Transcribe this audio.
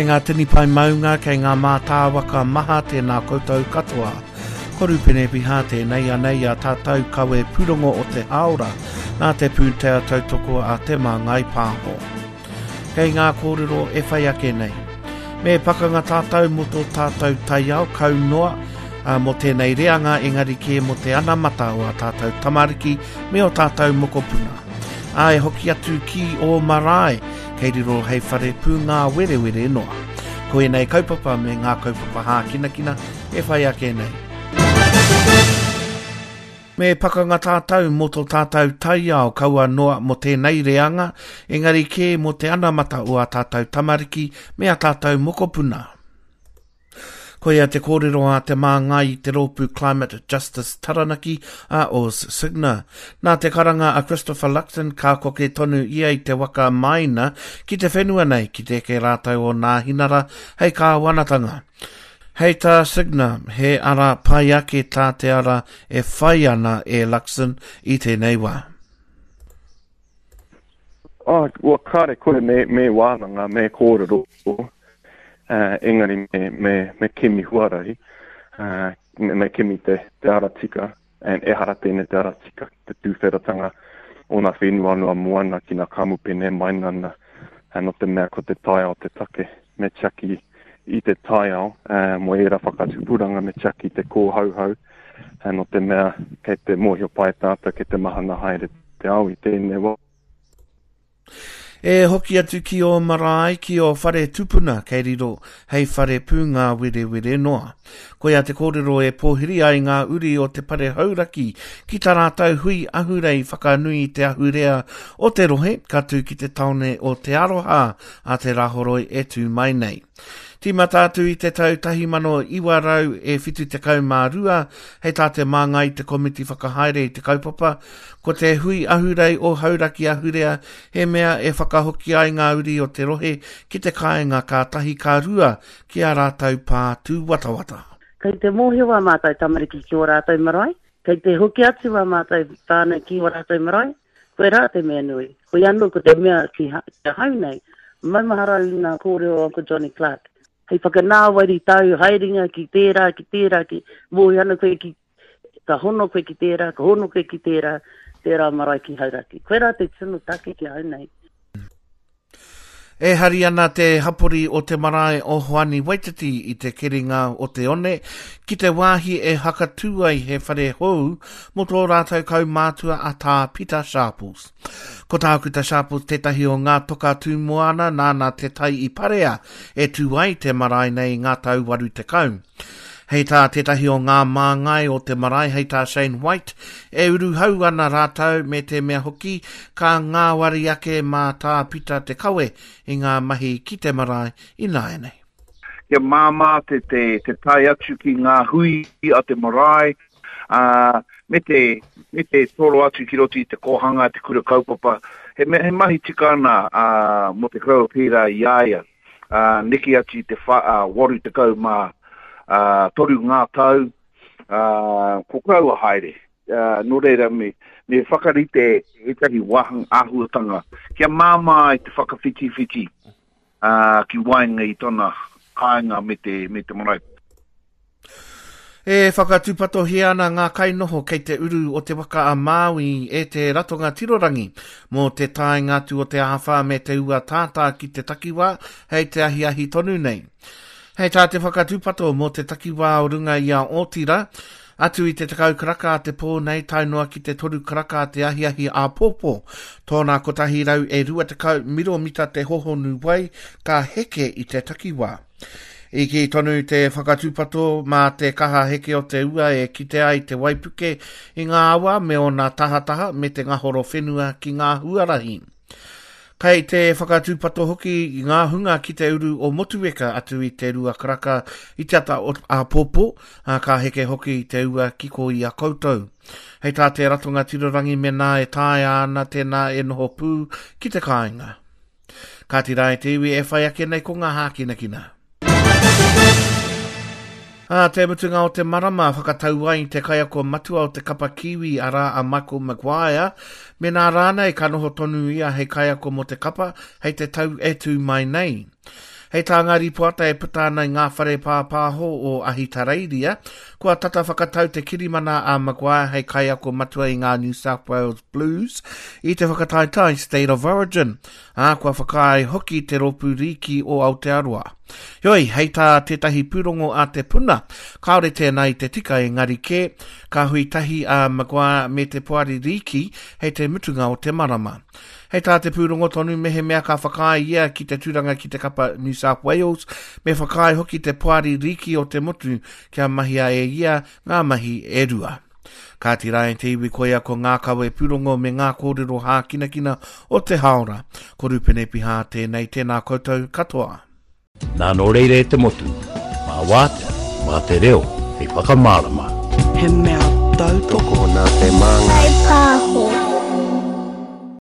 Kei ngā tini pae maunga, kei ngā mātāwaka maha tēnā koutou katoa. Ko Rupene Piha tēnei anei a tātou kawe pūrongo o te hāora nā te pūtea tautoko a Te Māngai Pāho. Kei ngā kōrero e whai ake nei. Me pakanga tātou mō tō tātou taiao kau noa mō tēnei reanga engari kē mō te anamata o ā tātou tamariki me ō tātou mokopuna. Ā, e hoki atu ki ō marae, kei riro hei whare pūngāwerewere noa. Ko ēnei kaupapa me ngā kaupapa hākinakina e whai ake nei. Me pakanga tātou mō tō tātou taiao kaua noa mō tēnei reanga, engari kē mō te anamata o ā tātou tamariki me ā tātou mokopuna. Koia te kōrero a te māngai i te rōpū Climate Justice Taranaki a Oz Signer. Nā te karanga a Christopher Luxon ka koke tonu ia i te waka maina ki te whenua nei ki te eke rātou o Nāhinara hei kāwanatanga. Hei tā Signer, he ara pai ake tā te ara e whai ana e Luxon i tēnei wā. Oh, well, kāre kore me, me wānanga, me kōrero, uh, engari me, me, me kimi huarahi, uh, me, me kimi te, te ara tika, and ehara tēnei te ara tika, te tūwheratanga o ngā whenua noa moana ki ngā kamupene mainana, uh, no te mea ko te taiao te take, me tiaki i te taiao, uh, mo ērā whakatupuranga, me tiaki te kōhauhau, uh, no te mea kei te mōhio pai tātou, kei te mahana haere te ao i tēnei wā. E hoki atu ki ō marae, ki ō whare tupuna kei riro hei whare pūngāwerewere noa. Koia te kōrero e pōhiri ai ngā uri o te Pare Hauraki ki tā rātou hui ahurei whakanui i te ahurea o te rohe ka tū ki te taone o Te Aroha a te Rāhoroi e tū mai nei. Tīmata atu i te tau 1972, hei tā te māngai i te komiti whakahaere i te kaupapa, ko te hui ahurei o Hauraki Ahurea he mea e whakahoki ai ngā uri o te rohe ki te kāinga ka tahi ka rua ki ā rātou pā tūwatawata. Kei te mōhio ā mātou tamariki ki ō rātou marae, kei te hoki atu ā mātou whānau ki ō rātou marae, Koirā te mea nui. Hoi anō ko te mea ki ahau nei, maumahara au i ngā kōrero o Uncle Johnny Clark. Hei whakanāwari tāu haerenga ki tērā, ki tērā, ki, mōhio ana koe ki, ka hono koe ki tērā, ka hono koe ki tērā, tērā marae ki Hauraki. Koirā te tino take ki ahau nei. E hari ana te hapori o te marae o Hoani Waititi i te keringa o te one ki te wāhi e hakatū ai he whare hou mō tō rātou kaumātua a Tā Pita Sharples. Ko Tākuta Sharples tētahi o ngā toka tū moana nāna te tai i parea e tū ai te marae nei i ngā tau 80. Hei tā tētahi o ngā māngai o te marae hei tā Shane White, e uruhau ana rātou me te mea hoki ka ngāwari ake mā Tā Pita te kawe i ngā mahi ki te marae ināianei. Kia māmā te, te, te tae atu ki ngā hui a te marae, ā, me te, me te toro atu ki roto i te kōhanga, te kura kaupapa. He, mea, he mahi tika ana ā, mō te koroua pērā i a ia. ā, neke atu i te wha, ā, 83 ngā tau, ā, ko koroua haere. Ā, nō reira me, me whakarite ētahi wāhanga āhuatanga kia māmā ai te whakawhitiwhiti, ā, ki waenga i tana kāinga me te, me te marae. E whakatūpatohia ana ngā kainoho kei te uru o Te Waka a Māui e te Ratonga Tirorangi mō te taenga atu o te āwhā me te ua tātā ki te takiwā hei te ahiahi tonu nei. Hei tā te whakatūpato mō te takiwā o runga i a Ōtira, atu i te 10 karaka a te pō nei tae noa ki te 3 karaka a te ahiahi āpōpō, tōna 120 miromita te hohonu wai ka heke i te takiwā. I kī tonu te whakatūpato mā te kaha heke o te ua e kite ai te waipuke i ngā awa me ōna tahataha me te ngahoro whenua ki ngā huarahi. Kei te whakatūpato hoki i ngā hunga ki te uru o Motueka atu i te rua karaka i te ata o āpōpō, ā, ka heke hoki te ua ki kō i a koutou. Hei tā te Ratonga Tirorangi mēnā e taea ana tēnā e noho pū ki te kāinga. Kāti rā e te iwi e whai ake nei ko ngā hākinakina. Ā te mutunga o te marama, whakatau ai te kaiako matua o te kapa Kiwi, arā a Michael Maguire, mēnā rānei ka noho tonu ia hei kaiako mō te kapa hei te tau e tū mai nei. Hei tā ngā rīpoata e puta ana i ngā whare pāpāho o Ahitereiria, kua tata whakatau te kirimana a Maguire hei kaiako matua i ngā New South Wales Blues i te whakataetae State of Origin, ā, kua whakaae hoki te Rōpū Rīki o Aotearoa. Heoi, hei tā tētahi pūrongo a Te Puna, kāore tēnā i te tika engari kē, ka hui tahi a Maguire me te Poari Rīki hei te mutunga o te marama. Hei tā te pūrongo tonu, mehemea ka whakaae ia ki te tūranga ki te kapa New South Wales, me whakaae hoki te Poari Rīki o te motu kia mahia e ia ngā mahi e rua. Kāti rā e te iwi koia ko ngā kawe pūrongo me ngā kōrero hākinakina o te hāora. Ko Rupene Pihā tēnei, tēnā koutou katoa. Nā nō reira e te motu, mā wātea, mā te reo hei whakamārama. He mea tautoko. Tokona te māngai. Pāho.